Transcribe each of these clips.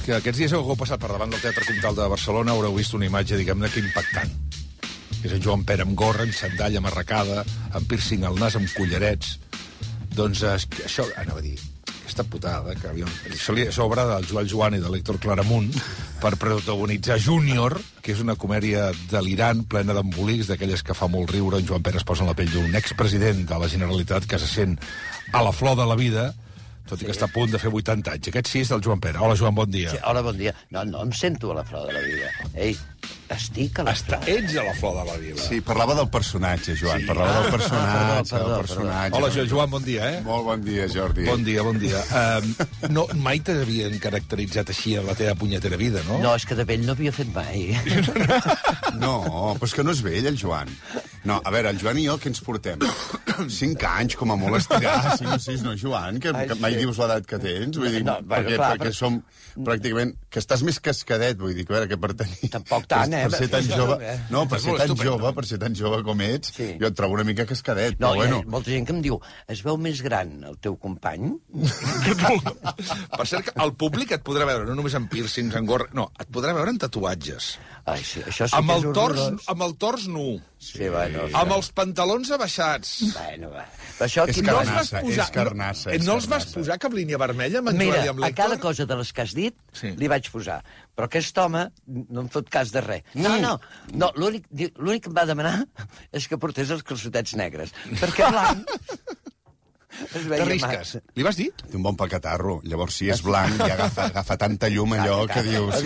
que aquests dies heu passat per davant del Teatre Comtal de Barcelona, haureu vist una imatge, diguem-ne, que impactant. És en Joan Pere amb gorra, amb sandalla amarracada, amb piercing al nas, amb collarets. Doncs això, anava a dir, aquesta putada, que això és obra del Joel Joan i de l'Héctor Claramunt per protagonitzar Júnior, que és una comèdia delirant, plena d'embolics, d'aquelles que fa molt riure. En Joan Pere es posa en la pell d'un expresident de la Generalitat que se sent a la flor de la vida, tot i que està a punt de fer 80 anys. Aquest sí és del Joan Pere. Hola, Joan, bon dia. Sí, hola, bon dia. No em sento a la flor de la vida. Ei, estic a la flor. Ets a la flor de la vida. Sí, parlava del personatge, Joan. Sí. Parlava del personatge. Hola, Joan, bon dia, Molt bon dia, Jordi. Bon dia. No, mai t'havien caracteritzat així en la teva punyetera vida, no? No, és que de vell no havia fet mai. No, però és que no és vell, el Joan. No, a veure, el Joan i jo, què ens portem? 5 anys, com a molt estirar, 5 o 6, no, Joan? Que mai dius l'edat que tens? Vull dir, perquè som pràcticament... Que estàs més cascadet, vull dir, que a veure, que per tenir... Tampoc tant, Per ser tan jove... No, per ser tan jove com ets, jo et trobo una mica cascadet, no, però bueno... Hi ha molta gent que em diu, es veu més gran el teu company? Per cert, que el públic et podrà veure no només en piercings, en gorra... No, et podrà veure en tatuatges. Ai, sí, això sí que és horrorós. Amb el tors nu. Sí, bueno... Amb els pantalons abaixats. Bueno, va. Això és carnassa. No els vas posar cap línia vermella amb en Mira, Joel i amb a l'Héctor? cada cosa de les que has dit li vaig posar. Però aquest home no em fot cas de res. No, l'únic que em va demanar és que portés els calçotets negres. Perquè blanc... T'arrisques. Li vas dir? Té un bon paquetarro. Llavors, si és blanc, ja agafa tanta llum allò que dius,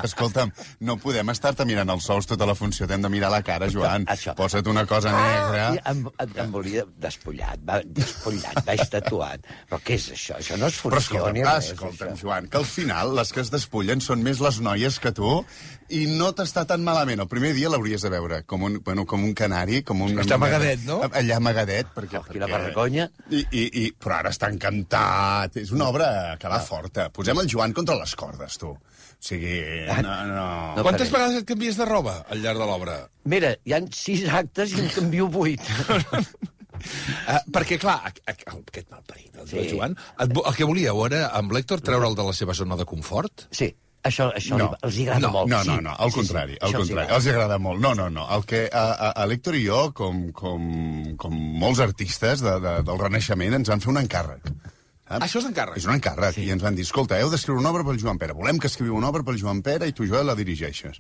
escolta'm, no podem estar-te mirant els sols tota la funció, t'hem de mirar la cara, Joan. Posa't una cosa negra. Em volia despullat, vaig tatuat. Però què és això? Això no és funció ni res. Escolta'm, Joan, que al final les que es despullen són més les noies que tu i no t'està tan malament. El primer dia l'hauries de veure com un canari, com un... Està amagadet, no? Allà amagadet, perquè... Quina vergonya. Però ara està encantat. És una obra que va forta. Posem el Joan contra les cordes, tu. O sigui, no... Quantes vegades et canvies de roba al llarg de l'obra? Mira, hi ha 6 actes i en canvio 8. Perquè, clar, aquest malparit, el Joan, el que volíeu era, amb l'Héctor, treure'l de la seva zona de confort? Sí. Això els agrada molt. No, al contrari, els agrada molt. No. El que a l'Héctor i jo, com molts artistes del Renaixement, ens van fer un encàrrec. Això és encàrrec? És un encàrrec, i ens van dir, escolta, heu d'escriure una obra pel Joan Pere, volem que escriviu una obra pel Joan Pere i tu, Joel, la dirigeixes.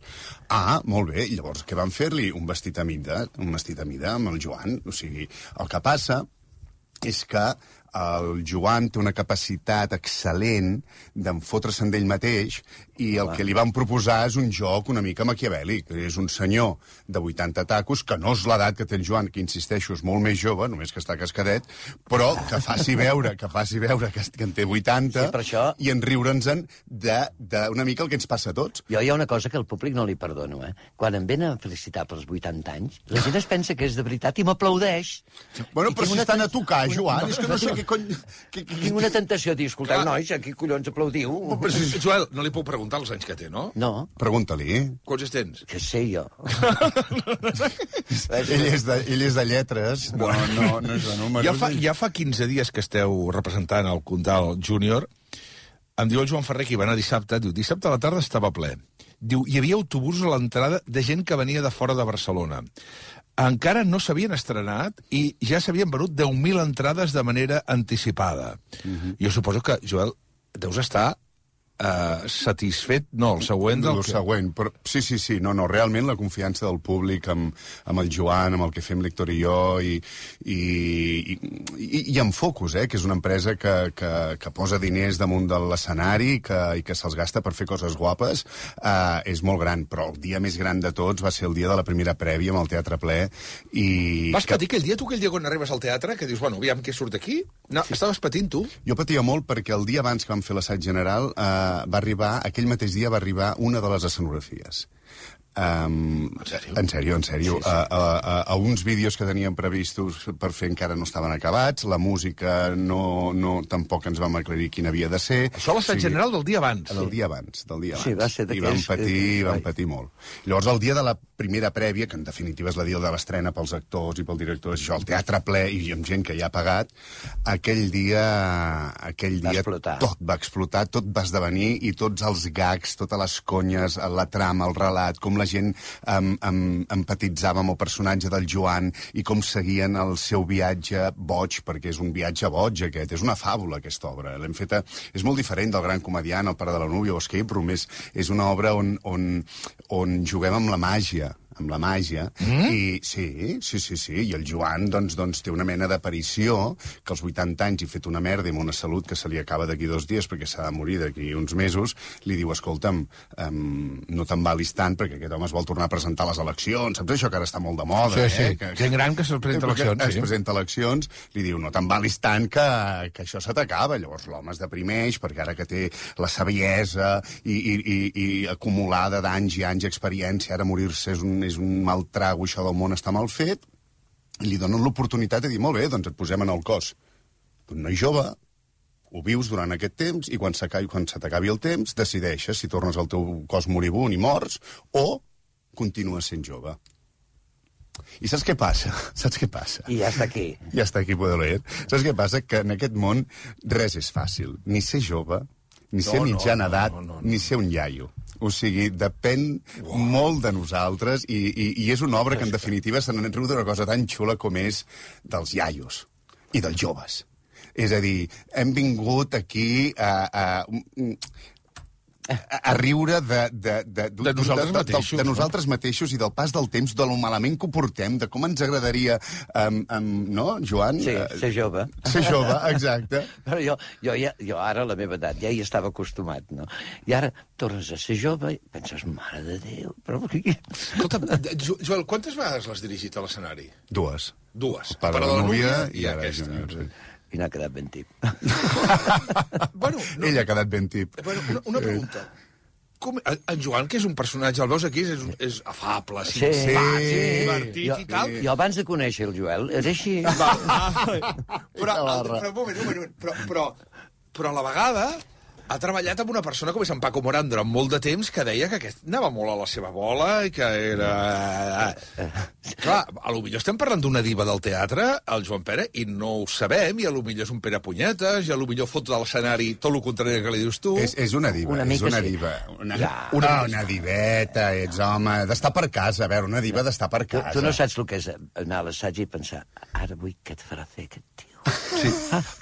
Ah, molt bé, i llavors què van fer-li? Un vestit a mida amb el Joan. O sigui, el que passa és que el Joan té una capacitat excel·lent d'enfotre's en ell mateix i el que li van proposar és un joc una mica maquiavèlic. És un senyor de 80 tacos, que no és l'edat que té el Joan, que insisteixo, és molt més jove, només que està cascadet, però que faci veure que en té 80 i en riure'ns-en d'una mica el que ens passa a tots. Jo hi ha una cosa que al públic no li perdono, Quan em venen a felicitar pels 80 anys, la gent es pensa que és de veritat i m'aplaudeix. Bueno, però si estan a tocar, Joan, és que no sé què cony... Tinc una tentació de dir, escolteu, nois, aquí collons aplaudiu. Joel, no li puc preguntar els anys que té, no? No. Pregunta-li. Quants tens? Què sé jo. Ell és de lletres, no és de números. Ja fa 15 dies que esteu representant el Comtal Júnior. Em diu el Joan Ferrer que hi va anar dissabte. Diu, dissabte a la tarda estava ple. Diu, hi havia autobusos a l'entrada de gent que venia de fora de Barcelona. Encara no s'havien estrenat i ja s'havien venut 10.000 entrades de manera anticipada. Jo suposo que, Joel, deus estar satisfet, no, el següent del que... següent, però sí, no, realment la confiança del públic amb el Joan, amb el que fem l'Héctor i jo, i amb Focus, que és una empresa que posa diners damunt de l'escenari i que se'ls gasta per fer coses guapes, és molt gran, però el dia més gran de tots va ser el dia de la primera prèvia amb el teatre ple, i... Vas patir aquell dia, tu, quan arribes al teatre, que dius, bueno, aviam què surt aquí? No, estaves patint, tu? Jo patia molt perquè el dia abans que vam fer l'assaig general aquell mateix dia va arribar una de les escenografies. En sèrio? En sèrio. Sí. A uns vídeos que teníem previstos per fer encara no estaven acabats, la música tampoc ens vam aclarir quina havia de ser. Això l'assaig general del dia abans. Del dia abans. Sí, va ser I vam patir molt. Llavors, el dia de la primera prèvia, que en definitiva és la dia de l'estrena pels actors i pel director, és això, el teatre ple i amb gent que ja ha pagat, aquell dia tot va explotar, tot va esdevenir, i tots els gags, totes les conyes, la trama, el relat, com la gent empatitzava amb el personatge del Joan i com seguien el seu viatge boig, perquè és un viatge boig aquest, és una fàbula aquesta obra. L'hem feta, és molt diferent del Gran Comediant, El pare de la núvia o Escape Room, és una obra on juguem amb la màgia, i sí, i el Joan doncs té una mena d'aparició que als 80 anys, i fet una merda i amb una salut que se li acaba d'aquí 2 dies perquè s'ha de morir d'aquí uns mesos, li diu, escolta'm, no t'embalis tant perquè aquest home es vol tornar a presentar a les eleccions, saps això que ara està molt de moda? Sí. Gent gran que se'l presenta a eleccions. Es presenta a eleccions, li diu, no t'embalis tant que això se t'acaba. Llavors l'home es deprimeix perquè ara que té la saviesa i acumulada d'anys i anys d'experiència, ara morir-se és un mal trago, això del món està mal fet, i li donen l'oportunitat de dir, molt bé, doncs et posem en el cos d'un noi jove, ho vius durant aquest temps, i quan se t'acabi el temps, decideixes si tornes al teu cos moribund i morts, o continues sent jove. I saps què passa? I ja està aquí. Ja està aquí, poder leer. Saps què passa? Que en aquest món res és fàcil. Ni ser jove, ni ser mitjana edat, ni ser un iaio. O sigui, depèn molt de nosaltres, i és una obra que, en definitiva, se n'han riu d'una cosa tan xula com és dels iaios i dels joves. És a dir, hem vingut aquí a riure de nosaltres mateixos i del pas del temps, de lo malament que ho portem, de com ens agradaria, no, Joan? Sí, ser jove. Ser jove, exacte. Però jo ara, a la meva edat, ja hi estava acostumat, no? I ara tornes a ser jove i penses, mare de Déu, però... Escolta, Joel, quantes vegades l'has dirigit a l'escenari? 2. El pare de la núvia i ara Júnior, sí. I n'ha quedat ben tip. Ell ha quedat ben tip. Bueno, una pregunta. En Joan, que és un personatge, el veus aquí, és afable, divertit i tal. Jo abans de conèixer el Joel era així. Però un moment, però a la vegada ha treballat amb una persona com és en Paco Morán durant molt de temps, que deia que aquest anava molt a la seva bola i que era... Clar, a lo millor estem parlant d'una diva del teatre, el Joan Pere, i no ho sabem, i a lo millor és un Pere Punyetes, i a lo millor fot de l'escenari tot el contrari que li dius tu. És una diva, una diveta, ets home, d'estar per casa, a veure, una diva d'estar per casa. Tu no saps el que és anar a l'assaig i pensar, ara vull què et farà fer aquest tio. Sí.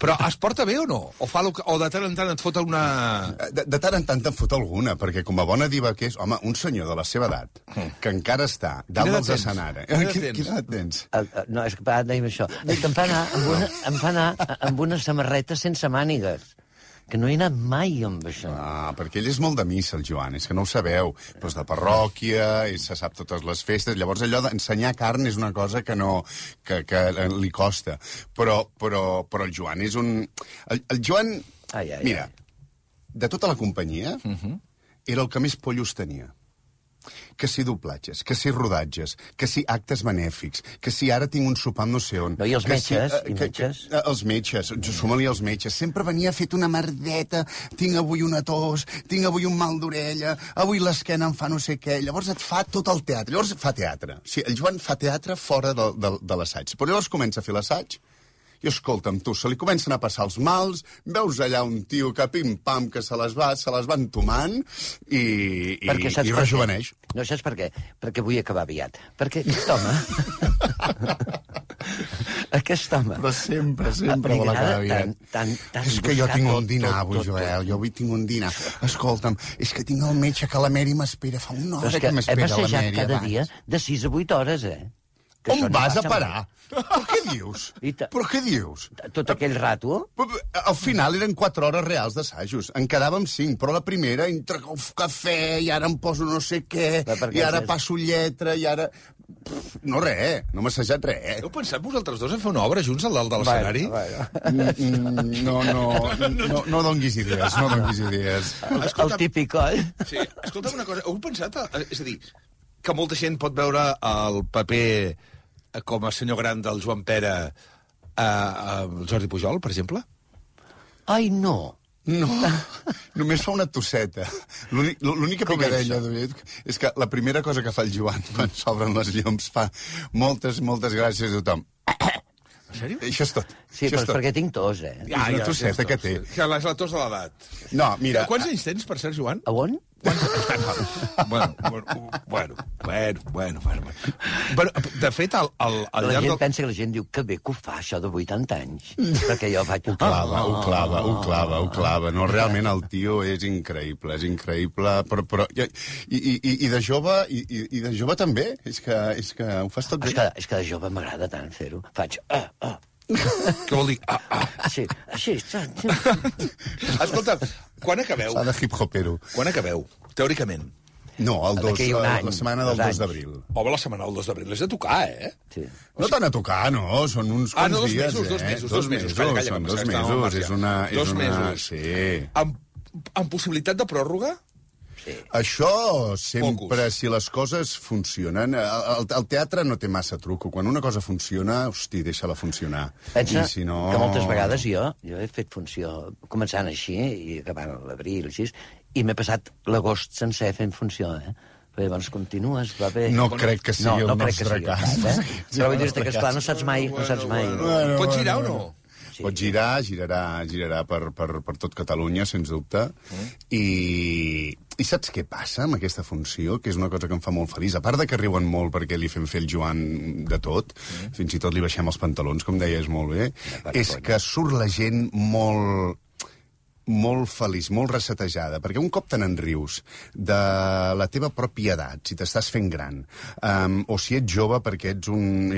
Però es porta bé o no? O de tant en tant et fot alguna... De tant en tant te'n fot alguna, perquè com a bona diva que és, home, un senyor de la seva edat, que encara està dalt dels escenaris... Quina edat tens? No, és que dèiem això. És que em fa anar amb una samarreta sense mànigues. Que no he anat mai amb això. Perquè ell és molt de missa, el Joan, és que no ho sabeu. Però és de parròquia, se sap totes les festes, llavors allò d'ensenyar carn és una cosa que li costa. Però el Joan és un... El Joan, mira, de tota la companyia, era el que més pollos tenia. Que si doblatges, que si rodatges, que si actes benèfics, que si ara tinc un sopar amb no sé on... No, i els metges? Els metges, suma-li els metges. Sempre venia fet una merdeta, tinc avui una tos, tinc avui un mal d'orella, avui l'esquena em fa no sé què... Llavors et fa tot el teatre. Llavors fa teatre. O sigui, el Joan fa teatre fora de l'assaig. Però llavors comença a fer l'assaig, i escolta'm, tu, se li comencen a passar els mals, veus allà un tio que pim-pam, que se les va entomant i rejuveneix. No, saps per què? Perquè vull acabar aviat. Perquè aquest home... Aquest home... Però sempre vol acabar aviat. És que jo tinc un dinar avui, Joel, jo avui tinc un dinar. Escolta'm, és que tinc el metge que la Mary m'espera, fa una hora que m'espera la Mary abans. Hem assajat cada dia de 6 a 8 hores, On vas a parar? Però què dius? Però què dius? Tot aquell rato? Al final eren 4 hores reals d'assajos. En quedàvem 5, però la primera, entre cafè, i ara em poso no sé què, i ara passo lletra, i ara... No res, no m'ha assajat res. Heu pensat vosaltres dos a fer una obra junts al dalt de l'escenari? No donguis idees, no donguis idees. El típic, oi? Sí, escolta'm una cosa, heu pensat... És a dir, que molta gent pot veure el paper com a senyor gran del Joan Pere el Jordi Pujol, per exemple? Ai, no. No, només fa una tosseta. L'única picadella és que la primera cosa que fa el Joan quan s'obren les llums fa moltes gràcies a tothom. En sèrio? Això és tot. Sí, però és perquè tinc tos, És una tosseta que té. Que és la tos de l'edat. No, mira... Quants anys tens, per cert, Joan? A on? Bueno. De fet, al La llarg gent del... pensa que la gent diu que bé que ho fa, això de 80 anys. Perquè jo faig... Ho clava. No, realment el tio és increïble, però... I de jove també, és que ho fas tot bé. És que de jove m'agrada tant fer-ho. Faig... Què vol dir? Així. Escolta, quan acabeu? Fa de hip-hopero. Quan acabeu, teòricament? No, la setmana del 2 d'abril. Home, la setmana del 2 d'abril és de tocar, eh? Sí. No tant a tocar, no, són uns quants dies, dos mesos. Calla, són 2 mesos, és una... Dos mesos. Sí. Amb possibilitat de pròrroga? Sí. Això sempre, si les coses funcionen... El teatre no té massa truco. Quan una cosa funciona, hosti, deixa-la funcionar. Pensa si no... que moltes vegades jo he fet funció començant així i acabant a l'abril, així, i m'he passat l'agost sencer fent funció, Però llavors continues, va bé... No crec que sigui el nostre cas. Però vull dir-te que, esclar, no saps mai. Pots girar o no? Sí. Pot girarà per tot Catalunya, sens dubte. I saps què passa amb aquesta funció? Que és una cosa que em fa molt feliç. A part de que riuen molt perquè li fem fer el Joan de tot, fins i tot li baixem els pantalons, com deies molt bé, és que surt la gent molt feliç, molt resetejada, perquè un cop te n'enrius de la teva pròpia edat, si t'estàs fent gran, o si ets jove perquè ets un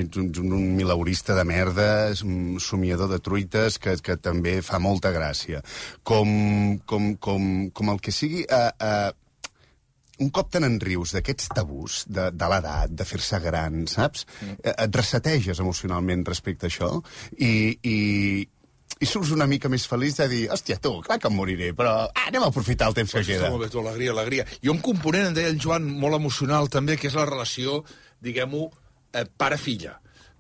milaurista de merda, un somiador de truites que també fa molta gràcia, com el que sigui... Un cop te n'enrius d'aquests tabús de l'edat, de fer-se gran, saps? Et reseteges emocionalment respecte a això i surts una mica més feliç de dir, hòstia, tu, clar que em moriré, però anem a aprofitar el temps que queda. Molt bé, tu, alegria. I un component, en deia el Joan, molt emocional també, que és la relació, diguem-ho, pare-filla,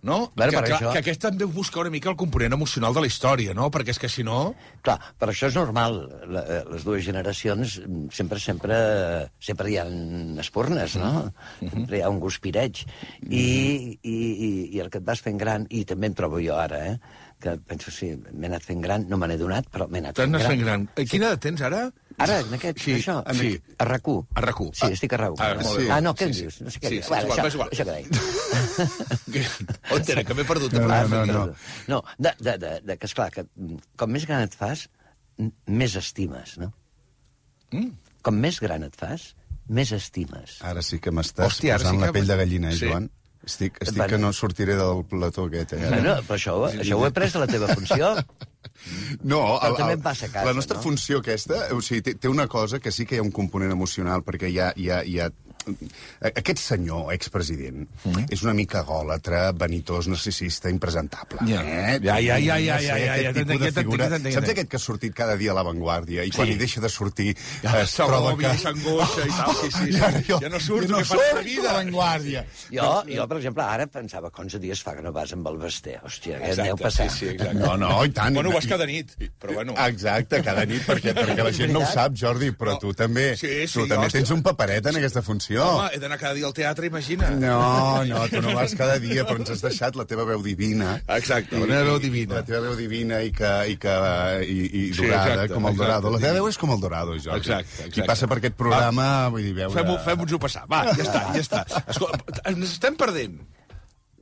no? Que aquest també busca una mica el component emocional de la història, no? Perquè és que si no... Clar, però això és normal. Les dues generacions sempre hi ha espurnes, no? Sempre hi ha un guspireig. I el que et vas fent gran, i també em trobo jo ara, que penso, sí, m'he anat fent gran, no me n'he donat, però m'he anat fent gran. Quina edat tens, ara? Ara, en aquest, això? Sí. A RAC1. A RAC1. Sí, estic a RAC1. No, què em dius? No sé què dius. Això que deia. On era, que m'he perdut? No, que esclar, que com més gran et fas, més estimes, no? Com més gran et fas, més estimes. Ara sí que m'estàs posant la pell de gallina, Joan? Estic que no sortiré del plató aquest, Bueno, però això ho he pres de la teva funció. No, també em passa a casa, la nostra funció aquesta, o sigui, té una cosa que sí que hi ha un component emocional, perquè hi ha aquest senyor, expresident, és una mica gòlatra, vanitós, narcisista, impresentable. Saps aquest que ha sortit cada dia a La Vanguardia i quan hi deixa de sortir es troba que... s'angoixa i tal, sí. Ja no surt, que fa la vida. A La Vanguardia. Jo, per exemple, ara pensava que 11 dies fa que no vas amb el Basté. Hòstia, què deu passar? Sí, exacte. No, i tant. Bueno, vas cada nit, però bueno. Exacte, cada nit, perquè la gent no ho sap, Jordi, però tu també tens un paperet en aquesta funció. Home, he d'anar cada dia al teatre, imagina. No, tu no vas cada dia, però ens has deixat la teva veu divina. Exacte, la meva veu divina. La teva veu divina i dorada, com el Dorado. La teva veu és com el Dorado, Jordi. Exacte. Qui passa per aquest programa, vull dir, veure... Fem-nos-ho passar. Va, ja està. Escolta, ens estem perdent.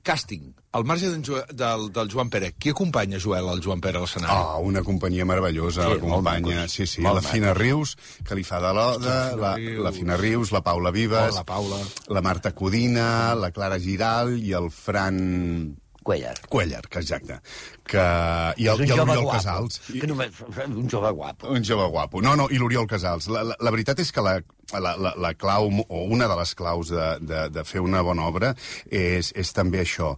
Càsting, al marge del Joan Pere. Qui acompanya, Joel, el Joan Pere a l'escenari? Una companyia meravellosa, l'acompanya. Sí, la Fina Rius, que li fa de l'Oda, la Fina Rius, la Paula Vives, la Marta Codina, la Clara Giral i el Fran... Cuéllar, que exacte. I l'Oriol Casals. Un jove guapo. Un jove guapo. No, i l'Oriol Casals. La veritat és que la clau, o una de les claus de fer una bona obra és també això,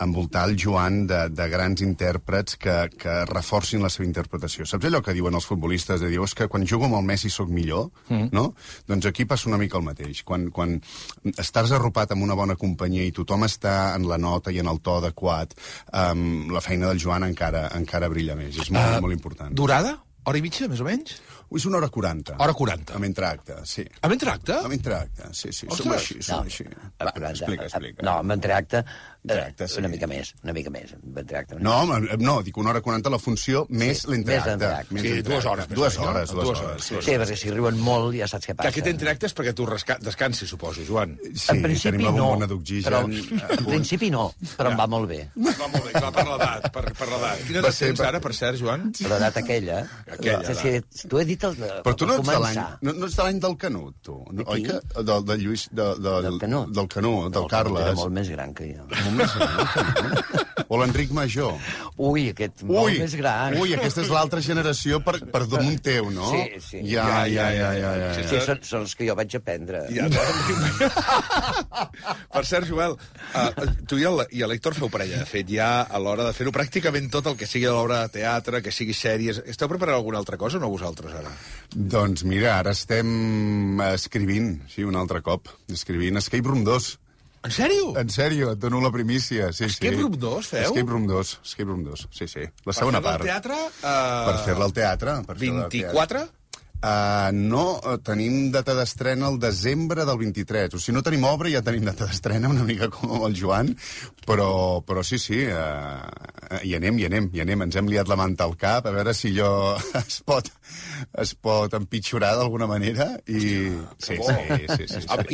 envoltar el Joan de grans intèrprets que reforcin la seva interpretació. Saps allò que diuen els futbolistes? De dir, és que quan jugo amb el Messi sóc millor, no? Doncs aquí passa una mica el mateix. Quan estàs arropat amb una bona companyia i tothom està en la nota i en el to adequat, la feina del Joan encara brilla més. És molt important. Durada? Hora i mitja, més o menys? És 1h40. Hora 40. Amb entracte, sí. Amb entracte? Amb entracte, sí. Ostres! Som així. Va, explica. No, amb entracte, sí. una mica més. Amb entracte. No, dic 1h40 la funció més l'entracte. Sí, 2 hores. 2 hores. Sí, perquè si riuen molt ja saps què Que passa. aquest entracte és perquè tu descansis, suposo, Joan. Sí, En principi tenim la no, bombona d'oxigen. en principi no, però em va molt bé. Va molt bé, clar, per l'edat, per l'edat. Quina edat tens ara, per cert, Joan? L'edat aquella. Aquella Si t'ho he dit Però tu no ets de l'any... No ets de l'any del Canut, tu. Oi que? Del Lluís... Del Canut? Del Canut, del Carles. Era molt més gran que jo. Molt més gran, el Canut. O l'Enric Major. Ui, aquest molt més gran. Ui, aquesta és l'altra generació per damunt teu, no? Sí. Ja. Sí, són els que jo vaig aprendre. Ja, per cert, Joel, tu i l'Héctor feu parella. De fet, ja a l'hora de fer-ho pràcticament tot el que sigui a l'obra de teatre, que sigui sèries... Esteu preparant alguna altra cosa o no vosaltres, ara? Doncs mira, ara estem escrivint, sí, un altre cop, escrivint Escape Room 2. En sèrio? En sèrio, et dono la primícia. Sí, Escape Room 2, feu? Escape Room 2, sí. La segona part. Per fer-la al teatre? Per fer-la al teatre. 24? No, tenim data d'estrena al desembre del 23. O sigui, no tenim obra, ja tenim data d'estrena, una mica com amb el Joan, però sí, hi anem. Ens hem liat la manta al cap, a veure si allò es pot empitjorar d'alguna manera. I... Sí.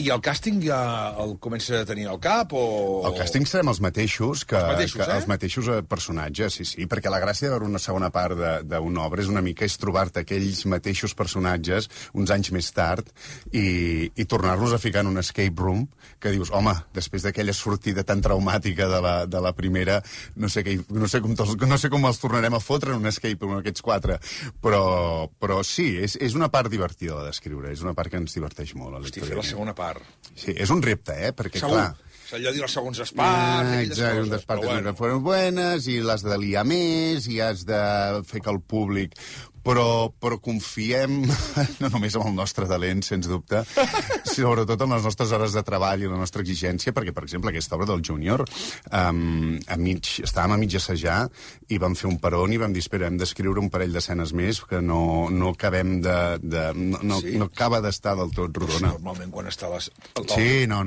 I el càsting ja el comença a tenir al cap, o...? El càsting serem els mateixos, Els mateixos personatges, sí, perquè la gràcia de veure una segona part d'una obra és una mica trobar-te aquells mateixos personatges uns anys més tard i tornar-los a ficar en un escape room que dius, home, després d'aquella sortida tan traumàtica de la primera, no sé com els tornarem a fotre en un escape room aquests 4, però sí, és una part divertida la d'escriure, és una part que ens diverteix molt. Hosti, fer la segona part. Sí, és un repte, perquè segur. clar... Allò de dir els segons parts, aquelles coses, parts que foren buenes, i l'has de liar més, i has de fer que el públic... Però confiem no només en el nostre talent, sens dubte, sobretot en les nostres hores de treball i la nostra exigència, perquè, per exemple, aquesta obra del Júnior, estàvem a mig assajar i vam fer un peron i vam dir, espera, hem d'escriure un parell d'escenes més que no acabem no acaba d'estar del tot rodona. Normalment quan està al top. Sí, no,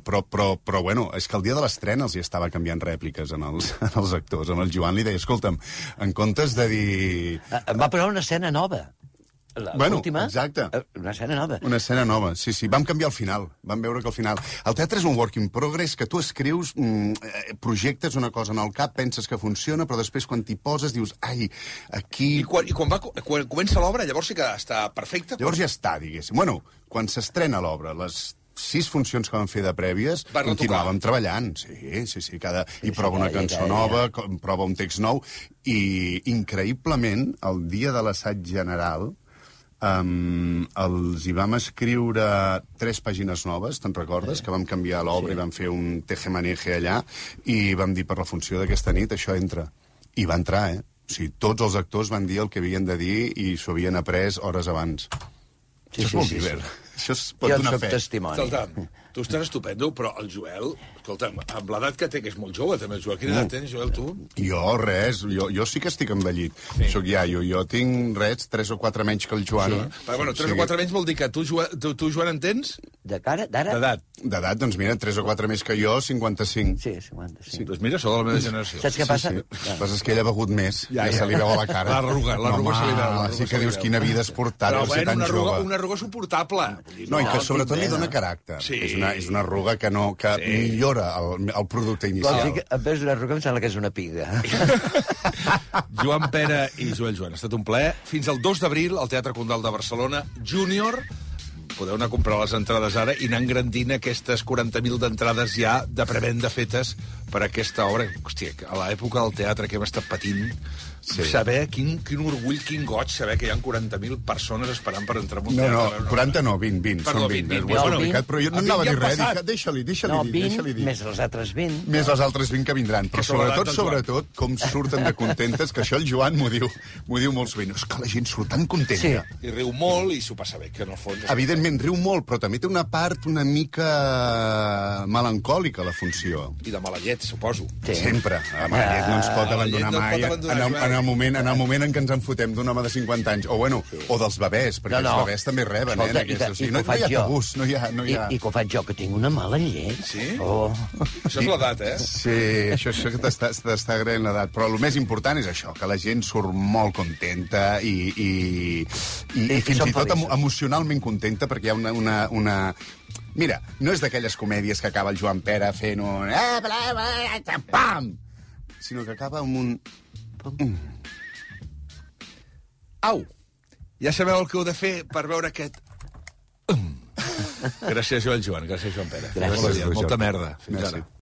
però bueno, és que el dia de l'estrena els hi estava canviant rèpliques als actors. Amb el Joan li deia, escolta'm, en comptes de dir... Em va posar una escena nova. L'última? Exacte. Una escena nova. Una escena nova, sí. Vam canviar el final. Vam veure que al final... El teatre és un work in progress que tu escrius, projectes una cosa en el cap, penses que funciona, però després quan t'hi poses dius, ai, aquí... I quan comença l'obra, llavors sí que està perfecte? Llavors ja està, diguéssim. Bueno, quan s'estrena l'obra, les 6 funcions que vam fer de prèvies, continuàvem treballant, sí, i prova una cançó nova, prova un text nou, i increïblement, el dia de l'assaig general, els hi vam escriure 3 pàgines noves, te'n recordes? Que vam canviar l'obra i vam fer un tejemaneje allà, i vam dir per la funció d'aquesta nit, això entra. I va entrar, O sigui, tots els actors van dir el que havien de dir i s'ho havien après hores abans. Això és molt divert. Això es pot donar fe. Jo soc testimoni. Escolta'm, tu estàs estupendo, però el Joel, escolta'm, amb l'edat que té, que és molt jove, també, el Joel. Quina edat tens, Joel, tu? Jo, res. Jo sí que estic envellit. Soc iaio. Jo tinc, 3 o 4 menys que el Joan. Sí. Però, bueno, 3 o 4 menys vol dir que tu, Joan, en tens? De cara? D'ara? D'edat. D'edat, doncs mira, 3 o 4 més que jo, 55. Sí, 55. Doncs mira, sou de la meva generació. Saps què passa? Sí. El que passa és que ell ha begut més. Ja se li veu a la cara. L'arruga se li veu. Sí que dius quina vida has portat per ser tan jove. Una arruga suportable. No, i que sobretot li dona caràcter. Sí. És una arruga que millora el producte inicial. Vols dir que en vez d'una arruga em sembla que és una piga. Joan Pera i Joan, ha estat un plaer. Fins al 2 d'abril, al Teatre Condal de Barcelona, Júnior. Podeu anar a comprar les entrades ara i anar engrandint aquestes 40.000 d'entrades ja de prevenda fetes per aquesta obra. Hòstia, a l'època del teatre que hem estat patint, saber quin orgull, quin goig, saber que hi ha 40.000 persones esperant per entrar en un teatre. No, 40 no, 20. Perdó, són 20. 20. Ho has explicat, però jo no anava a dir res. Deixa-li dir. No, 20, més els altres 20. Més els altres 20 que vindran. Però sobretot, com surten de contentes, que això el Joan m'ho diu molt sovint. És que la gent surt tan contenta. I riu molt i s'ho passa bé, que en el fons... Evidentment, riu molt, però també té una part una mica melancòlica, la funció. I de mala llet. llet, suposo. Sí. Sempre. La llet no ens pot la llet abandonar no et mai pot abandonar, en Joan. el moment en què ens en fotem d'un home de 50 anys. O, bueno, o dels bebès, perquè els bebès també reben, Escolta, en aquesta. O sigui, que ho no hi faig ha jo. tabús, no hi ha... I que ho faig jo, que tinc una mala llet. Sí? Oh. Això és l'edat, eh? Sí, això que t'està agraint l'edat. Però el més important és això, que la gent surt molt contenta i fins són i tot feliços. emocionalment contenta, perquè hi ha una... Mira, no és d'aquelles comèdies que acaba el Joan Pere fent un... Pam! Sinó que acaba amb un... Au! Ja sabeu el que heu de fer per veure aquest... Gràcies, Joan. Gràcies, Joan Pere. Gràcies. Molta merda. Fins Merci. ara.